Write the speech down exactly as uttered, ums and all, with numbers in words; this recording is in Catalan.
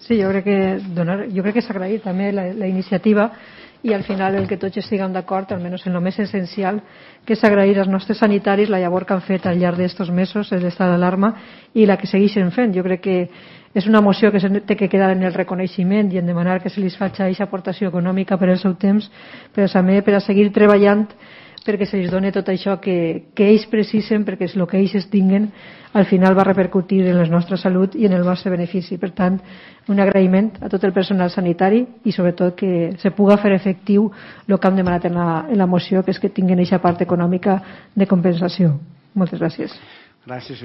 Sí, jo crec que, donar, jo crec que s'ha agraït també la, la iniciativa i al final el que tots estiguem d'acord, almenys en el més essencial, que és agrair als nostres sanitaris la llavor que han fet al llarg d'estos mesos, l'estat d'alarma, i la que segueixen fent. Jo crec que és una moció que té que quedar en el reconeixement i en demanar que se li faci aquesta aportació econòmica per al seu temps, però també per a seguir treballant perquè se li doni tot això que, que ells precisen, perquè el que ells tinguen al final va repercutir en la nostra salut i en el nostre benefici. Per tant, un agraïment a tot el personal sanitari i sobretot que se puga fer efectiu el que hem demanat en la, en la moció, que és que tinguin aquesta part econòmica de compensació. Moltes gràcies. Gràcies.